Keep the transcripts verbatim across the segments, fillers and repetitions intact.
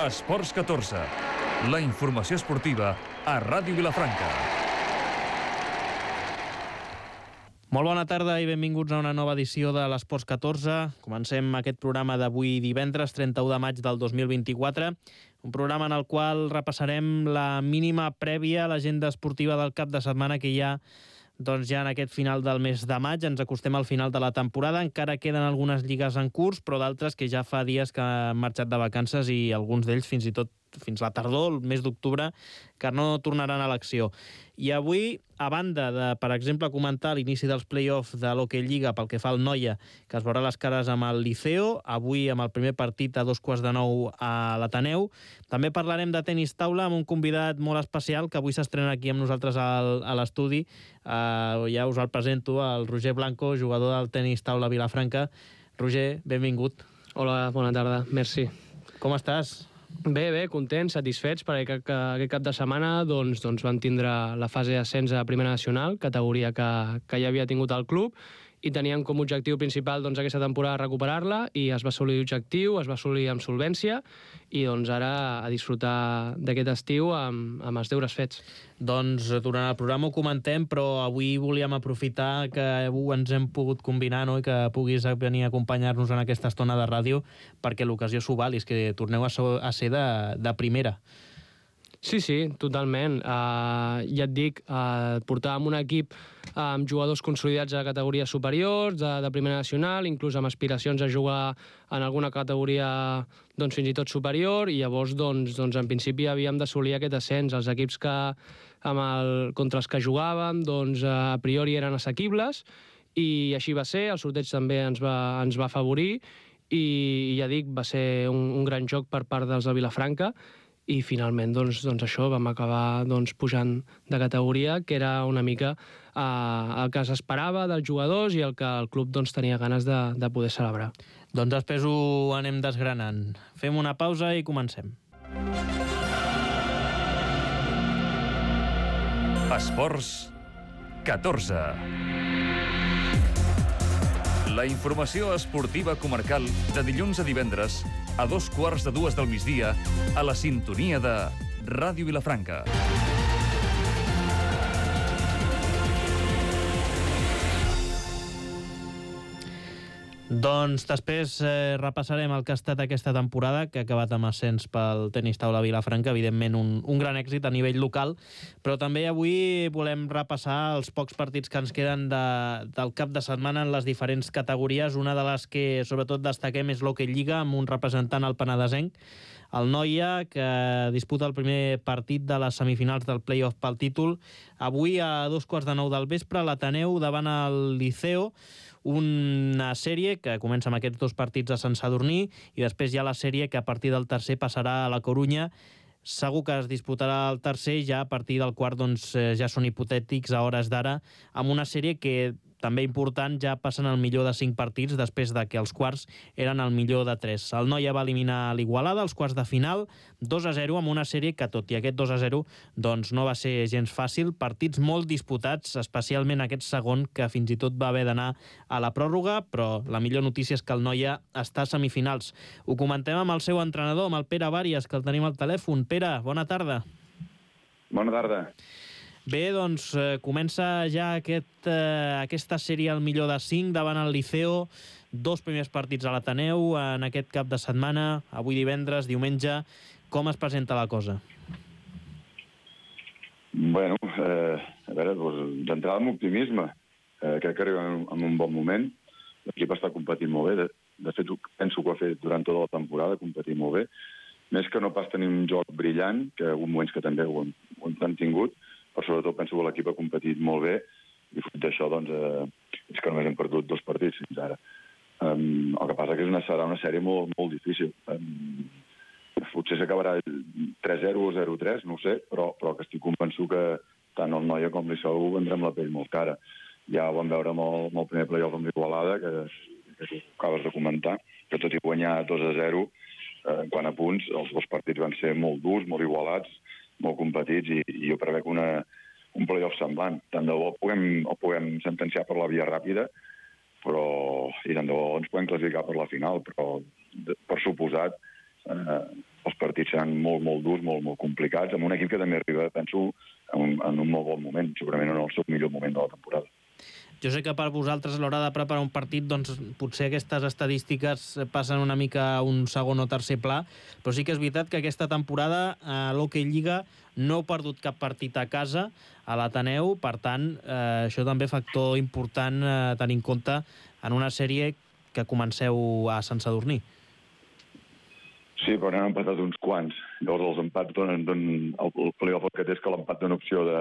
Esports catorze, la informació esportiva a Ràdio Vilafranca. Molt bona tarda i benvinguts a una nova edició de l'Esports catorze. Comencem aquest programa d'avui divendres, trenta-u de maig del dos mil vint-i-quatre, un programa en el qual repassarem la mínima prèvia a l'agenda esportiva del cap de setmana que hi ha doncs ja en aquest final del mes de maig. Ens acostem al final de la temporada, encara queden algunes lligues en curs, però d'altres que ja fa dies que han marxat de vacances i alguns d'ells fins i tot fins la tardor, el mes d'octubre, que no tornaran a l'acció. I avui, a banda de, per exemple, comentar l'inici dels play-offs de l'Hockey Lliga pel que fa al Noia, que es veurà les cares amb el Liceo, avui amb el primer partit a dos quarts de nou a l'Ateneu, també parlarem de tenis taula amb un convidat molt especial que avui s'estrena aquí amb nosaltres al, a l'estudi. Uh, ja us el presento, el Roger Blanco, jugador del tenis taula Vilafranca. Roger, benvingut. Hola, bona tarda, merci. Com estàs? Bé, bé, contents, satisfets, perquè aquest cap de setmana doncs, doncs van tindre la fase d'ascens a Primera Nacional, categoria que, que ja havia tingut el club, i teníem com a objectiu principal doncs, aquesta temporada recuperar-la, i es va assolir l'objectiu, es va assolir amb solvència, i doncs ara a disfrutar d'aquest estiu amb, amb els deures fets. Doncs durant el programa ho comentem, però avui volíem aprofitar que ens hem pogut combinar, no?, i que puguis venir a acompanyar-nos en aquesta estona de ràdio, perquè l'ocasió s'ho val, és que torneu a ser de, de primera. Sí, sí, totalment. Uh, ja et dic, uh, portàvem un equip uh, amb jugadors consolidats a categories superiors, de, de Primera Nacional, inclús amb aspiracions a jugar en alguna categoria doncs, fins i tot superior, i llavors, doncs, doncs, en principi, havíem d'assolir aquest ascens. Els equips que, amb el, contra els que jugàvem doncs, a priori eren assequibles, i així va ser. El sorteig també ens va, ens va afavorir, i ja dic, va ser un, un gran joc per part dels de Vilafranca, i finalment doncs, doncs això, vam acabar doncs, pujant de categoria, que era una mica eh, el que s'esperava dels jugadors i el que el club doncs, tenia ganes de, de poder celebrar. Doncs després ho anem desgranant. Fem una pausa i comencem. Esports catorze. La informació esportiva comarcal de dilluns a divendres a dos quarts de dues del migdia a la sintonia de Ràdio Vilafranca. Doncs després eh, repassarem el que ha estat aquesta temporada, que ha acabat amb ascens pel tenis taula Vilafranca, evidentment un, un gran èxit a nivell local, però també avui volem repassar els pocs partits que ens queden de, del cap de setmana en les diferents categories. Una de les que sobretot destaquem és l'Hockey Lliga, amb un representant al penedesenc, el Noia, que disputa el primer partit de les semifinals del play-off pel títol. Avui a dos quarts de nou del vespre, l'Ateneu davant el Liceo, una sèrie que comença amb aquests dos partits a Sant Sadurní, i després hi ha la sèrie que a partir del tercer passarà a la Corunya. Segur que es disputarà el tercer, ja a partir del quart doncs, ja són hipotètics a hores d'ara, amb una sèrie que també important, ja passen al millor de cinc partits després de que els quarts eren el millor de tres. El Noia va eliminar l'Igualada als quarts de final, dos a zero, amb una sèrie que, tot i aquest dos a zero, doncs no va ser gens fàcil. Partits molt disputats, especialment aquest segon, que fins i tot va haver d'anar a la pròrroga, però la millor notícia és que el Noia està a semifinals. Ho comentem amb el seu entrenador, amb el Pere Vàries, que el tenim al telèfon. Pere, bona tarda. Bona tarda. Bé, doncs eh, comença ja aquest, eh, aquesta sèrie al millor de cinc davant el Liceo, dos primers partits a l'Ateneu en aquest cap de setmana, avui divendres, diumenge. Com es presenta la cosa? Bueno, eh, a veure, doncs, d'entrada amb optimisme. Eh, crec que arribem en un bon moment. L'equip està competint molt bé. De, de fet, penso que ho ha fet durant tota la temporada, competir molt bé. Més que no pas tenir un joc brillant, que hi ha moments que també ho hem, ho hem tingut, però sobretot penso que l'equip ha competit molt bé, i fruit d'això doncs, eh, és que només hem perdut dos partits fins ara. Um, el que passa que és una, serà una sèrie molt, molt difícil. Um, potser s'acabarà tres zero o zero tres, no ho sé, però, però que estic convençut que tant el Noia com l'Iceu vendrem la pell molt cara. Ja ho vam veure amb el, amb el primer play-off amb l'Igualada, que, que tu acabes de comentar, que tot i guanyar dos a zero, eh, quant a punts, els dos partits van ser molt durs, molt igualats, molt competits, i, i jo prevec una, un play-off semblant. Tant de bo el puguem, el puguem sentenciar per la via ràpida, però i tant de bo ens podem classificar per la final, però de, per suposat eh, els partits seran molt, molt durs, molt, molt complicats, amb un equip que també arriba, penso, en un, en un molt bon moment, segurament en el seu millor moment de la temporada. Jo sé que per vosaltres a l'hora de preparar un partit doncs, potser aquestes estadístiques passen una mica a un segon o tercer pla, però sí que és veritat que aquesta temporada a l'Hockey Lliga no heu perdut cap partit a casa a l'Ateneu, per tant, eh, això també factor important a eh, tenir en compte en una sèrie que comenceu a Sant Sadurní. Sí, però n'han empatat uns quants. Llavors els empats donen... donen el, el playoff que té és que l'empat dona opció de,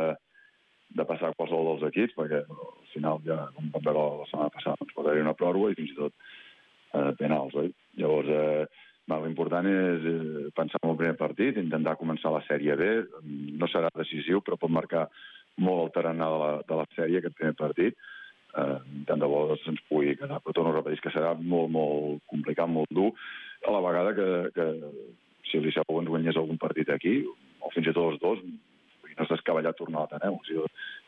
de passar a qualsevol dels equips, perquè al final ja, com vam veure la setmana passada, doncs pot haver una pròrroga i fins i tot eh, penals, oi? Llavors, eh, l'important és eh, pensar en el primer partit, intentar començar la sèrie bé, no serà decisiu, però pot marcar molt el tarannà de la, de la sèrie, aquest primer partit, eh, tant de bo se'ns pugui quedar, però torno a repetir que serà molt, molt complicat, molt dur, a la vegada que, que si el Liceu ens guanyés algun partit aquí, o fins i tot els dos, no és descabellat tornar a l'Ateneu. O sigui,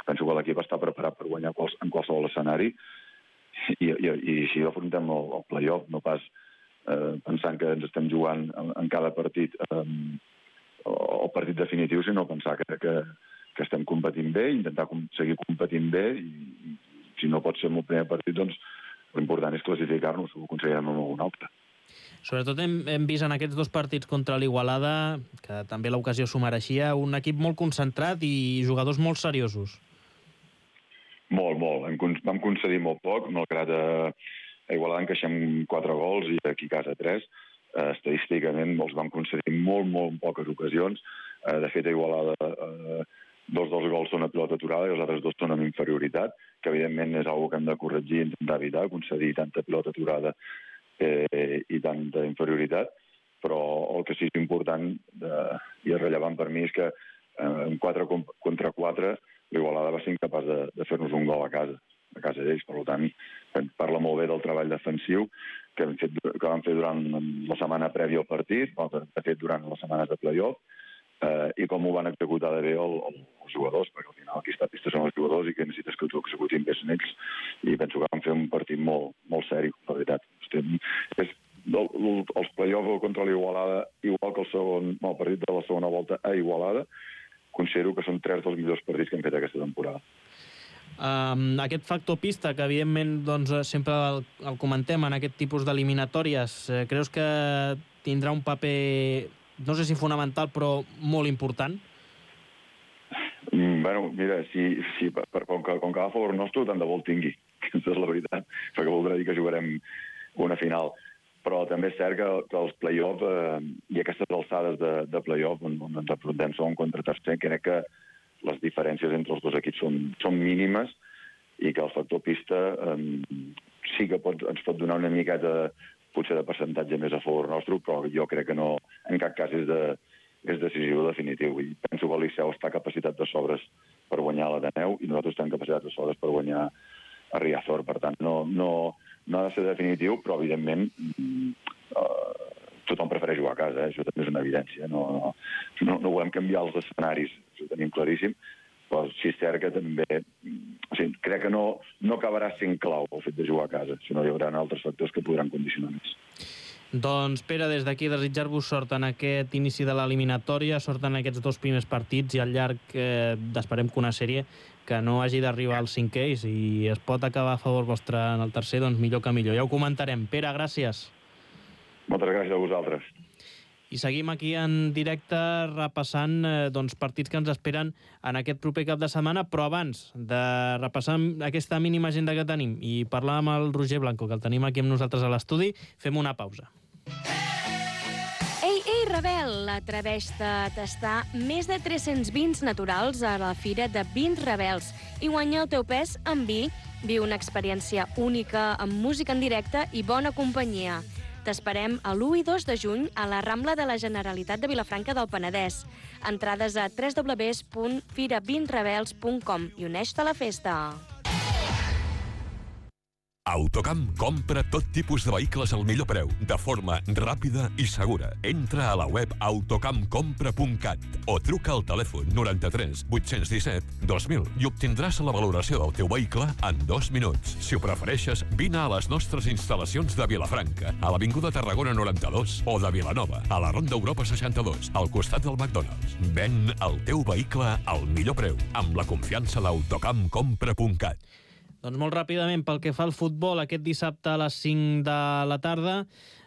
penso que l'equip està preparat per guanyar quals, en qualsevol escenari i, i, i si afrontem el, el play-off, no pas eh, pensant que ens estem jugant en, en cada partit eh, el partit definitiu, sinó pensar que, que, que estem competint bé, intentar com, seguir competint bé i, i si no pot ser en el primer partit, doncs l'important és classificar-nos, ho aconseguirem en algun altre. Sobretot hem, hem vist en aquests dos partits contra l'Igualada, que també l'ocasió s'ho mereixia, un equip molt concentrat i jugadors molt seriosos. Molt, molt. Hem, vam concedir molt poc, malgrat a, a Igualada encaixem quatre gols i aquí a casa tres. Eh, estadísticament els vam concedir molt, molt poques ocasions. Eh, de fet, a Igualada eh, dos dels gols són a pilota aturada i els altres dos són amb inferioritat, que evidentment és una cosa que hem de corregir i intentar evitar, concedir tanta pilota aturada Eh, i tanta inferioritat, però el que sí és important eh, i és rellevant per mi és que eh, en quatre contra quatre l'Igualada va ser incapaç de, de fer-nos un gol a casa, a casa d'ells. Per tant, parla molt bé del treball defensiu que vam fer, que vam fer durant la setmana prèvia al partit, de fet durant les setmanes de play-off, eh, i com ho van executar de bé el, el, els jugadors, perquè al final aquí està pista són els jugadors i que necessites que ho executin bé són ells, i penso que van fer un partit molt, molt seri, la veritat. Estem, és, el, el, els play-off contra l'Igualada, igual que el, segon, el partit de la segona volta a Igualada, considero que són tres dels millors partits que hem fet aquesta temporada. Um, aquest factor pista, que evidentment doncs, sempre el, el comentem en aquest tipus d'eliminatòries, eh, creus que tindrà un paper, no sé si fonamental, però molt important? Mm, bueno, mira, si, si, per, com, que, com que va a favor nostre, tant de bo el tingui, aquesta és la veritat, perquè voldrà dir que jugarem una final. Però també és cert que, que els play-off eh, i aquestes alçades de, de play-off on, on ens afrontem segon contra tercer, crec que les diferències entre els dos equips són, són mínimes i que el factor pista eh, sí que pot, ens pot donar una miqueta potser de percentatge més a favor nostre, però jo crec que no, en cap cas és, de, és decisiu o definitiu. I penso que el Liceu està capacitat de sobres per guanyar l'Ateneu i nosaltres estem capacitat de sobres per guanyar a Riazor. Per tant, no, no, no ha de ser definitiu, però evidentment eh, tothom prefereix jugar a casa, eh? Això també és una evidència. No, no, no, no volem canviar els escenaris, això ho tenim claríssim, però sí és cert que també o sigui, crec que no, no acabarà sent clau el fet de jugar a casa, sinó hi haurà altres factors que podran condicionar més. Doncs, Pere, des d'aquí desitjar-vos sort en aquest inici de l'eliminatòria, sort en aquests dos primers partits i al llarg eh, d'esperem que una sèrie que no hagi d'arribar al cinquè i si es pot acabar a favor vostre en el tercer, doncs millor que millor. Ja ho comentarem. Pere, gràcies. Moltes gràcies a vosaltres. I seguim aquí en directe repassant eh, doncs, partits que ens esperen en aquest proper cap de setmana, però abans de repassar aquesta mínima agenda que tenim i parlar amb el Roger Blanco, que el tenim aquí amb nosaltres a l'estudi, fem una pausa. Ei, ei, Rebel, atreveix-te a tastar més de tres-cents vins naturals a la Fira de Vins Rebels i guanya el teu pes en vi. Viu una experiència única amb música en directe i bona companyia. T'esperem a l'u i dos de juny a la Rambla de la Generalitat de Vilafranca del Penedès. Entrades a w w w punt fira vins rebels punt com i uneix-te a la festa. Autocamp compra tot tipus de vehicles al millor preu, de forma ràpida i segura. Entra a la web autocamp compra punt cat o truca al telèfon noranta-tres vuit-cents disset dos mil i obtindràs la valoració del teu vehicle en dos minuts. Si ho prefereixes, vine a les nostres instal·lacions de Vilafranca, a l'Avinguda Tarragona noranta-dos o de Vilanova, a la Ronda Europa seixanta-dos, al costat del McDonald's. Ven el teu vehicle al millor preu, amb la confiança d'autocamp compra punt cat. Doncs molt ràpidament, pel que fa al futbol, aquest dissabte a les cinc de la tarda,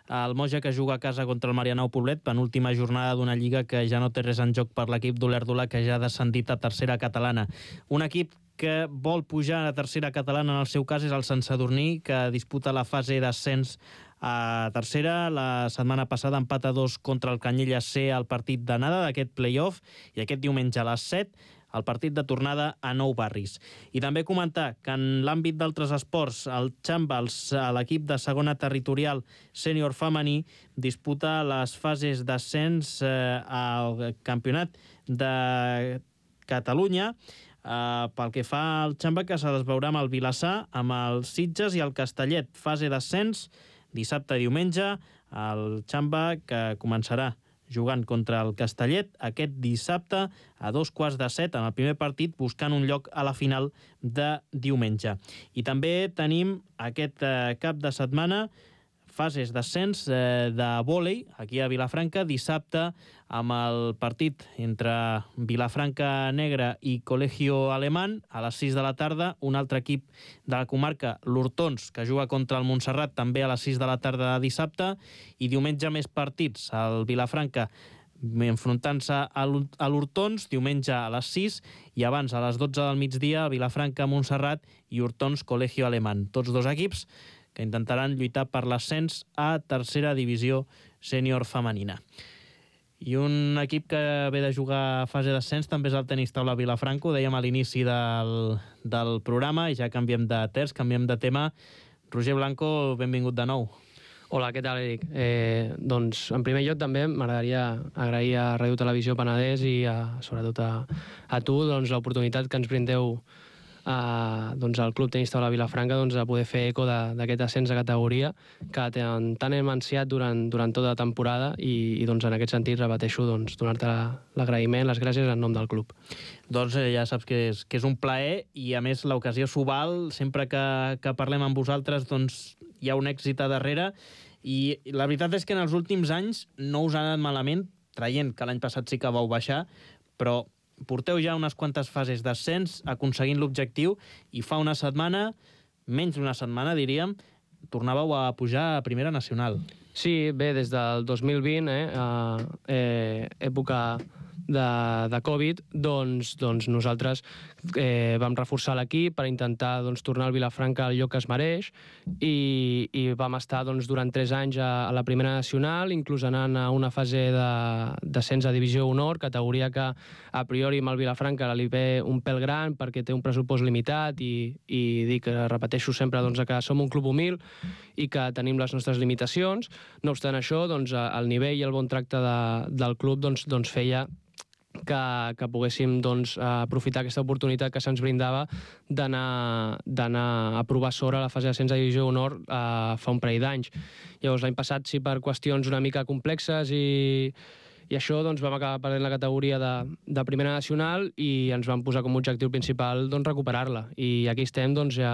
el Moja que juga a casa contra el Marianao Poblet, penúltima jornada d'una lliga que ja no té res en joc per l'equip d'Olèrdola, que ja ha descendit a tercera catalana. Un equip que vol pujar a tercera catalana, en el seu cas, és el Sant Sadurní, que disputa la fase d'ascens a tercera. La setmana passada empat a dos contra el Canyelles C al partit d'anada d'aquest play-off, i aquest diumenge a les set el partit de tornada a Nou Barris. I també comentar que en l'àmbit d'altres esports, el Xambals, l'equip de segona territorial sènior femení, disputa les fases d'ascens eh, al campionat de Catalunya. Eh, pel que fa al Xamba, que se les veurà amb el Vilassar, amb el Sitges i el Castellet. Fase d'ascens dissabte i diumenge. El Xamba, que començarà jugant contra el Castellet aquest dissabte a dos quarts de set en el primer partit, buscant un lloc a la final de diumenge. I també tenim aquest eh, cap de setmana fases d'ascens eh, de vòlei aquí a Vilafranca, dissabte amb el partit entre Vilafranca Negra i Colegio Alemán a les sis de la tarda, un altre equip de la comarca, l'Hortons, que juga contra el Montserrat també a les sis de la tarda de dissabte, i diumenge més partits, el Vilafranca enfrontant-se a l'Hortons, diumenge a les sis, i abans a les dotze del migdia, Vilafranca Montserrat i Hortons Colegio Alemán. Tots dos equips que intentaran lluitar per l'ascens a tercera divisió sènior femenina. I un equip que ve de jugar a fase d'ascens també és el tenis taula Vilafranca, ho dèiem a l'inici del, del programa, i ja canviem de terç, canviem de tema. Roger Blanco, benvingut de nou. Hola, què tal, Eric? Eh, doncs, en primer lloc, també m'agradaria agrair a Ràdio Televisió Penedès i a, sobretot a, a tu doncs, l'oportunitat que ens brindeu Uh, doncs el Club Tenis Taula Vilafranca doncs, a poder fer eco d'aquest ascens de categoria que tant, tant hem ansiat durant, durant tota la temporada, i, i doncs, en aquest sentit repeteixo doncs, donar-te l'agraïment, les gràcies en nom del club. Doncs eh, ja saps que és, que és un plaer, i a més l'ocasió s'ho val. Sempre que, que parlem amb vosaltres doncs, hi ha un èxit a darrere, i la veritat és que en els últims anys no us ha anat malament, traient que l'any passat sí que vau baixar, però porteu ja unes quantes fases d'ascens aconseguint l'objectiu, i fa una setmana, menys d'una setmana diríem, tornàveu a pujar a Primera Nacional. Sí, bé, des del dos mil vint, eh, eh, època de, de Covid, doncs, doncs nosaltres eh, vam reforçar l'equip per intentar doncs, tornar al Vilafranca al lloc que es mereix, i, i vam estar doncs, durant tres anys a, a la Primera Nacional, inclús anant a una fase d'ascens a Divisió Honor, categoria que a priori amb el Vilafranca li ve un pèl gran perquè té un pressupost limitat, i, i dic, repeteixo sempre doncs, que som un club humil i que tenim les nostres limitacions. No obstant això, doncs, el nivell i el bon tracte de, del club doncs, doncs feia que, que poguéssim doncs, aprofitar aquesta oportunitat que se'ns brindava d'anar a provar sort a la fase d'ascens a Divisió Honor eh, fa un parell d'anys. Llavors, l'any passat, sí, per qüestions una mica complexes i, i això, doncs, vam acabar perdent la categoria de, de Primera Nacional, i ens vam posar com a objectiu principal doncs, recuperar-la. I aquí estem doncs, ja,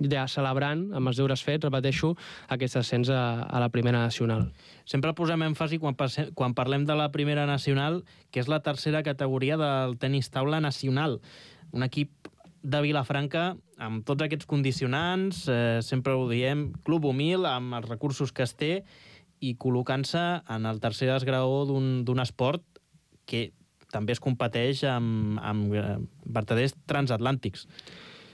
ja celebrant, amb els deures fets, repeteixo, aquest ascens a, a la Primera Nacional. Sempre posem èmfasi quan, quan parlem de la Primera Nacional, que és la tercera categoria del tenis taula nacional. Un equip de Vilafranca amb tots aquests condicionants, eh, sempre ho diem, club humil, amb els recursos que es té, i col·locant-se en el tercer esgraó d'un esport que també es competeix amb, amb vertaders transatlàntics.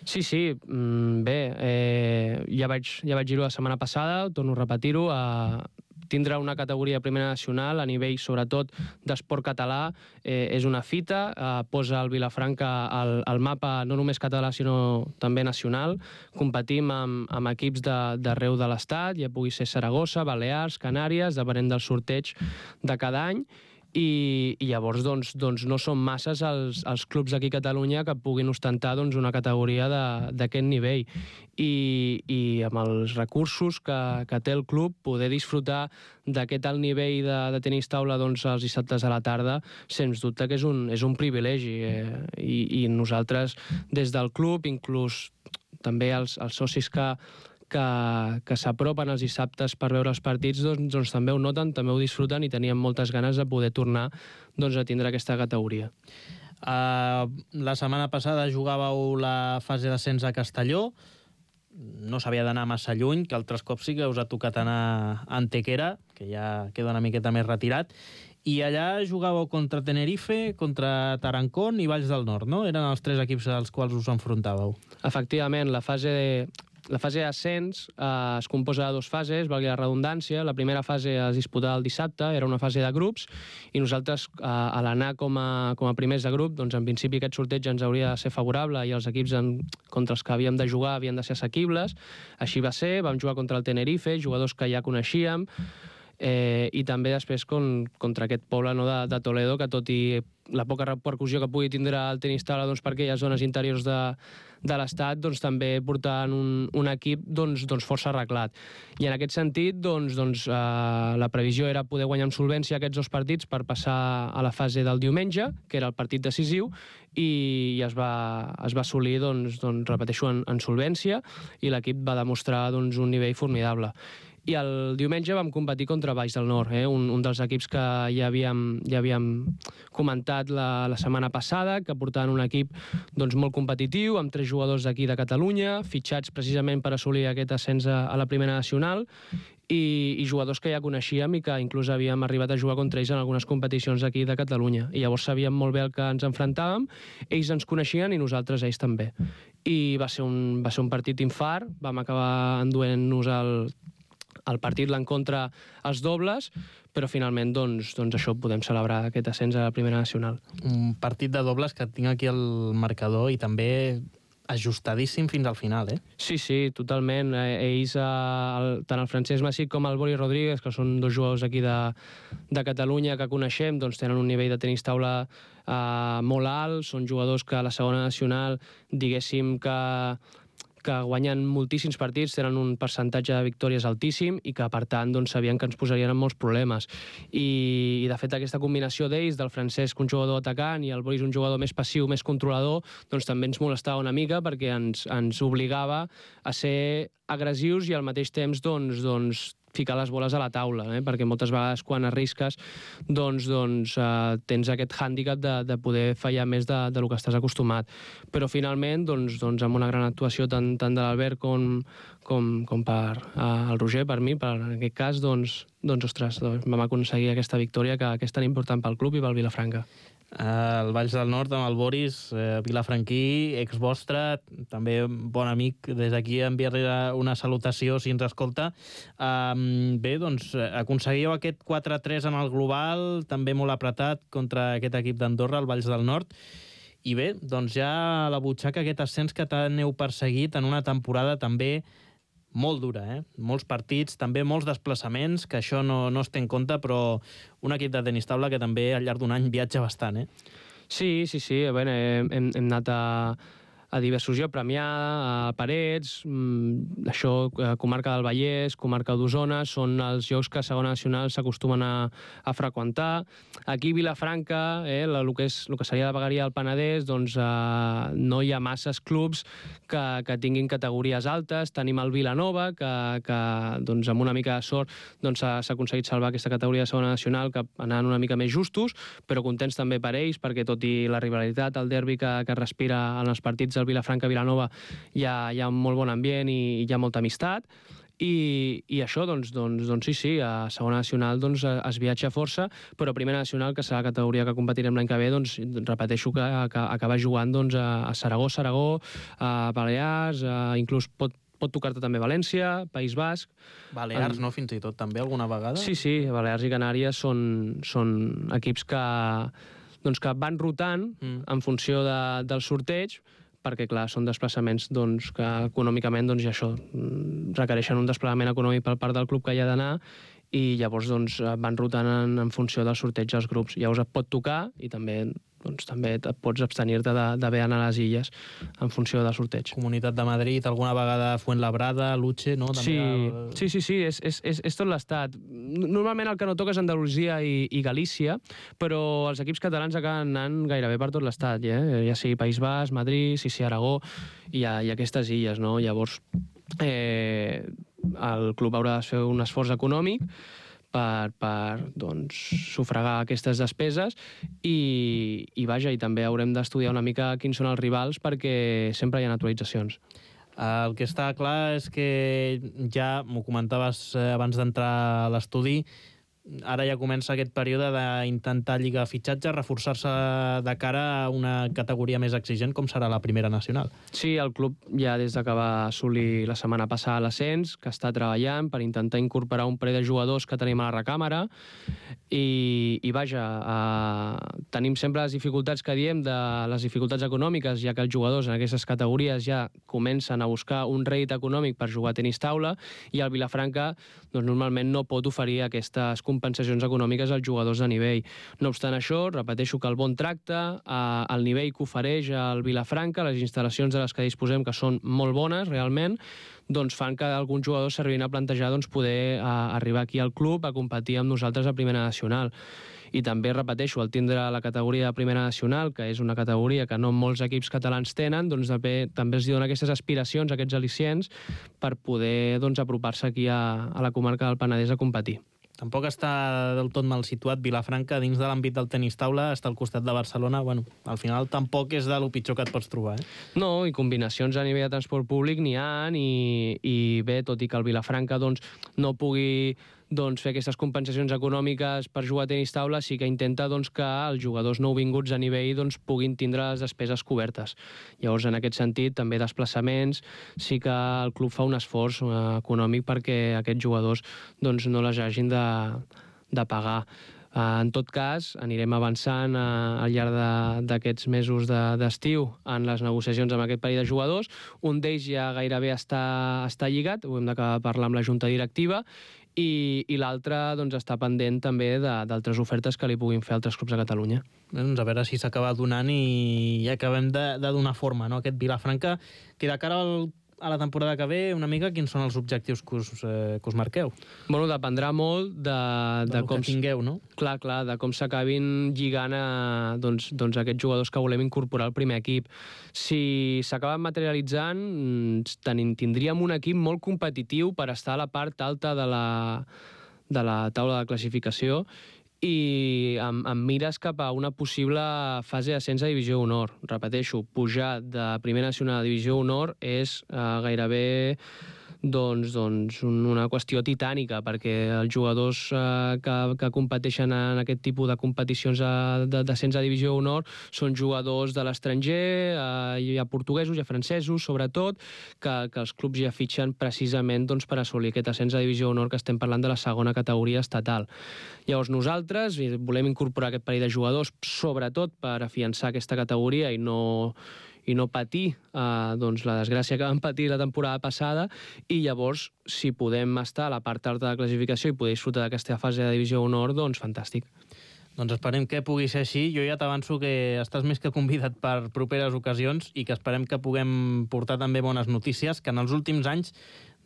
Sí, sí, bé, eh, ja vaig, ja vaig dir-ho la setmana passada, torno a repetir-ho, a tindre una categoria de Primera Nacional a nivell, sobretot, d'esport català, eh, és una fita, eh, posa el Vilafranca al, al mapa no només català, sinó també nacional. Competim amb, amb equips d'arreu de, de l'Estat, ja pugui ser Saragossa, Balears, Canàries, depenent del sorteig de cada any, i, i llavors doncs, doncs no són masses els, els clubs d'aquí a Catalunya que puguin ostentar doncs, una categoria d'aquest nivell. I, i amb els recursos que, que té el club, poder disfrutar d'aquest alt nivell de, de tenis taula doncs, els dissabtes a la tarda, sens dubte que és un, és un privilegi. Eh? I, I nosaltres, des del club, inclús també els, els socis que, que, que s'apropen els dissabtes per veure els partits, doncs, doncs també ho noten, també ho disfruten i tenien moltes ganes de poder tornar doncs, a tindre aquesta categoria. Uh, la setmana passada jugàveu la fase d'ascens a Castelló, no s'havia d'anar massa lluny, que altres cops sí que us ha tocat anar a Antequera, que ja queda una miqueta més retirat, i allà jugàveu contra Tenerife, contra Tarancón i Valls del Nord, no? Eren els tres equips als quals us enfrontàveu. Efectivament, la fase de... La fase d'ascens eh, es composa de dues fases, valgui la redundància. La primera fase es disputava el dissabte, era una fase de grups, i nosaltres, eh, a l'anar com, a, com a primers de grup, doncs en principi aquest sorteig ens hauria de ser favorable i els equips en, contra els que havíem de jugar havien de ser assequibles. Així va ser, vam jugar contra el Tenerife, jugadors que ja coneixíem, eh, i també després con, contra aquest poble no, de, de Toledo, que tot i la poca repercussió que pugui tindre el tenis taula doncs, per aquelles zones interiors de, de l'estat, doncs, també portant un, un equip doncs, doncs, força arreglat. I en aquest sentit, doncs, doncs, eh, la previsió era poder guanyar amb solvència aquests dos partits per passar a la fase del diumenge, que era el partit decisiu, i, i es, va, es va assolir, doncs, doncs, repeteixo, en, en solvència, i l'equip va demostrar doncs, un nivell formidable. I el diumenge vam competir contra Valls del Nord, eh? un, un dels equips que ja havíem, ja havíem comentat la, la setmana passada, que portaven un equip doncs, molt competitiu, amb tres jugadors d'aquí de Catalunya, fitxats precisament per assolir aquest ascens a, a la primera nacional, i, i jugadors que ja coneixíem i que inclús havíem arribat a jugar contra ells en algunes competicions aquí de Catalunya. I llavors sabíem molt bé el que ens enfrontàvem, ells ens coneixien i nosaltres ells també. I va ser un, va ser un partit infart, vam acabar enduent-nos el el partit l'encontre als dobles, però finalment doncs, doncs això podem celebrar aquest ascens a la primera nacional. Un partit de dobles que tinc aquí al marcador i també ajustadíssim fins al final, eh? Sí, sí, totalment. Ells, el, tant el Francesc Massic com el Boris Rodríguez, que són dos jugadors aquí de, de Catalunya que coneixem, doncs tenen un nivell de tenis taula eh, molt alt, són jugadors que a la segona nacional, diguéssim que que guanyen moltíssims partits, tenen un percentatge de victòries altíssim i que, per tant, doncs, sabien que ens posarien en molts problemes. I, i de fet, aquesta combinació d'ells, del Francesc, un jugador atacant, i el Boris, un jugador més passiu, més controlador, doncs també ens molestava una mica perquè ens, ens obligava a ser agressius i al mateix temps doncs, doncs, ficar les boles a la taula, eh? Perquè moltes vegades quan arrisques doncs, doncs, eh, tens aquest hàndicap de, de poder fallar més de, de lo que estàs acostumat. Però finalment, doncs, doncs, amb una gran actuació tant, tant de l'Albert com, com, com per eh, el Roger, per mi, per, en aquest cas, doncs, doncs, ostres, doncs, vam aconseguir aquesta victòria que, que és tan important pel club i pel Vilafranca. El Valls del Nord amb el Boris, eh, vilafranquí, ex vostre, també bon amic, des d'aquí enviar-li una salutació si ens escolta. Um, bé, doncs aconseguíeu aquest quatre a tres en el global, també molt apretat contra aquest equip d'Andorra, el Valls del Nord, i bé, doncs ja a la butxaca aquest ascens que tant heu perseguit en una temporada també molt dura, eh? Molts partits, també molts desplaçaments, que això no, no es té en compte, però un equip de tenis taula que també al llarg d'un any viatja bastant, eh? Sí, sí, sí. A veure, hem, hem anat a, a diversos llocs, Premià, a Parets, mmm, això, comarca del Vallès, comarca d'Osona, són els llocs que a segona nacional s'acostumen a, a freqüentar. Aquí a Vilafranca, eh, el, el, que és, el que seria la vegueria del Penedès, doncs eh, no hi ha masses clubs que, que tinguin categories altes. Tenim el Vilanova, que, que doncs, amb una mica de sort doncs, s'ha aconseguit salvar aquesta categoria de segona nacional, que anant una mica més justos, però contents també per ells, perquè tot i la rivalitat, el derbi que, que respira en els partits del Vilafranca-Vilanova, hi ha, hi ha un molt bon ambient i hi ha molta amistat. I, i això, doncs, doncs, doncs sí, sí, a segona nacional doncs, es viatja força, però a primera nacional, que serà la categoria que competirem l'any que ve, doncs, repeteixo que, que acaba jugant doncs, a Saragó, Saragó, a Balears, a, inclús pot, pot tocar-te també València, País Basc. Balears, en... no? Fins i tot, també, alguna vegada? Sí, sí, Balears i Canàries són, són equips que, doncs, que van rotant mm. en funció de, del sorteig, perquè, clar, són desplaçaments doncs, que econòmicament doncs, ja això, requereixen un desplegament econòmic per part del club que hi ha d'anar i llavors doncs, van rotant en, en funció del sorteig dels grups. Llavors et pot tocar i també doncs també et pots abstenir-te d'haver d'anar a les illes en funció del sorteig. Comunitat de Madrid, alguna vegada Fuenlabrada, Luche, no? També Sí, el... sí, sí, sí, és, és, és, és tot l'estat. Normalment el que no toca és Andalusia i, i Galícia, però els equips catalans acaben anant gairebé per tot l'estat, eh? Ja sigui País Basc, Madrid, sí, sí, Aragó, i, a, i aquestes illes, no? Llavors, eh, el club haurà de fer un esforç econòmic per, per doncs, sufragar aquestes despeses i, i vaja, i també haurem d'estudiar una mica quins són els rivals perquè sempre hi ha actualitzacions. El que està clar és que ja m'ho comentaves abans d'entrar a l'estudi, ara ja comença aquest període d'intentar lligar fitxatges, reforçar-se de cara a una categoria més exigent com serà la primera nacional. Sí, el club ja des de que va assolir la setmana passada l'ascens, que està treballant per intentar incorporar un parell de jugadors que tenim a la recàmera i, i vaja, eh, tenim sempre les dificultats que diem de les dificultats econòmiques, ja que els jugadors en aquestes categories ja comencen a buscar un rèdit econòmic per jugar a tenis taula i el Vilafranca doncs, normalment no pot oferir aquestes compensacions econòmiques als jugadors de nivell. No obstant això, repeteixo que el bon tracte, eh, el nivell que ofereix el Vilafranca, les instal·lacions de les que disposem, que són molt bones realment, doncs fan que alguns jugadors s'arribin a plantejar doncs, poder eh, arribar aquí al club a competir amb nosaltres a Primera Nacional. I també, repeteixo, el tindre la categoria de Primera Nacional, que és una categoria que no molts equips catalans tenen, doncs també, també els donen aquestes aspiracions, aquests al·licients, per poder doncs, apropar-se aquí a, a la comarca del Penedès a competir. Tampoc està del tot mal situat Vilafranca dins de l'àmbit del tenis taula, està al costat de Barcelona. Bueno, al final tampoc és de lo pitjor que et pots trobar, eh? No, i combinacions a nivell de transport públic n'hi ha, i, i bé, tot i que el Vilafranca doncs, no pugui doncs, fer aquestes compensacions econòmiques per jugar a tenis taula, sí que intenta doncs, que els jugadors nouvinguts a nivell doncs, puguin tindre les despeses cobertes. Llavors, en aquest sentit, també desplaçaments, sí que el club fa un esforç eh, econòmic perquè aquests jugadors doncs, no les hagin de, de pagar. Uh, en tot cas, anirem avançant uh, al llarg d'aquests mesos d'estiu de, en les negociacions amb aquest parell de jugadors. Un d'ells ja gairebé està, està lligat, ho hem d'acabar de parlar amb la junta directiva, i, i l'altre doncs, està pendent també d'altres ofertes que li puguin fer altres clubs de Catalunya. Bé, doncs a veure si s'acaba donant i ja acabem de, de donar forma, no? Aquest Vilafranca, que de cara al a la temporada que ve, una mica, quins són els objectius que us, eh, que us marqueu? Bueno, dependrà molt de, de, de com... que tingueu, no? Clar, clar, de com s'acabin lligant a, doncs, doncs, aquests jugadors que volem incorporar al primer equip. Si s'acaben materialitzant, tenim, tindríem un equip molt competitiu per estar a la part alta de la, de la taula de classificació i amb, amb mires cap a una possible fase d'ascens a Divisió Honor. Repeteixo, pujar de Primera Nacional a Divisió Honor és eh, gairebé doncs, doncs una qüestió titànica, perquè els jugadors eh, que, que competeixen en aquest tipus de competicions d'ascens a Divisió Honor són jugadors de l'estranger, eh, hi ha portuguesos, hi ha francesos, sobretot, que, que els clubs ja fitxen precisament doncs, per assolir aquest ascens a Divisió Honor, que estem parlant de la segona categoria estatal. Llavors nosaltres volem incorporar aquest parell de jugadors, sobretot per afiançar aquesta categoria i no... i no patir eh, doncs, la desgràcia que vam patir la temporada passada, i llavors, si podem estar a la part alta de classificació i poder disfrutar d'aquesta fase de Divisió Honor, doncs fantàstic. Doncs esperem que pugui ser així. Jo ja t'avanço que estàs més que convidat per properes ocasions i que esperem que puguem portar també bones notícies, que en els últims anys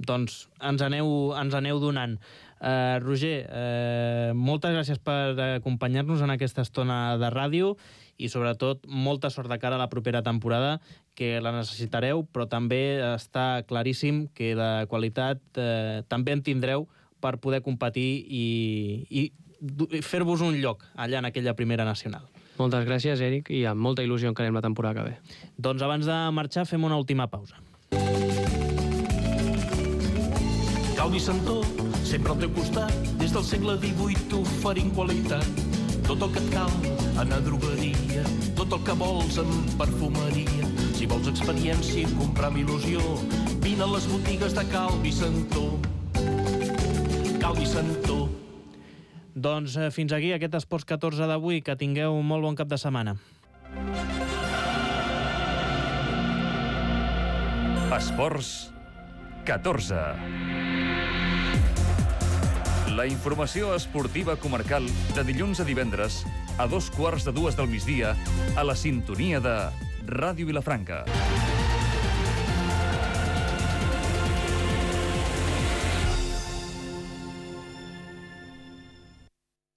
doncs, ens, aneu, ens aneu donant. Uh, Roger, uh, moltes gràcies per acompanyar-nos en aquesta estona de ràdio i sobretot molta sort de cara a la propera temporada, que la necessitareu, però també està claríssim que de qualitat uh, també en tindreu per poder competir i, i fer-vos un lloc allà en aquella primera nacional. Moltes gràcies, Eric, i amb molta il·lusió encarem la temporada que ve. Doncs abans de marxar fem una última pausa. Calvi Santó, sempre al teu costat, des del segle divuit t'oferint qualitat. Tot el que et cal, anar a drogueria, tot el que vols en perfumeria. Si vols experiència i comprar amb il·lusió, vine a les botigues de Calvi Santó. Calvi Santó. Doncs eh, fins aquí aquest Esports catorze d'avui. Que tingueu un molt bon cap de setmana. Esports catorze. La informació esportiva comarcal de dilluns a divendres a dos quarts de dues del migdia a la sintonia de Ràdio Vilafranca.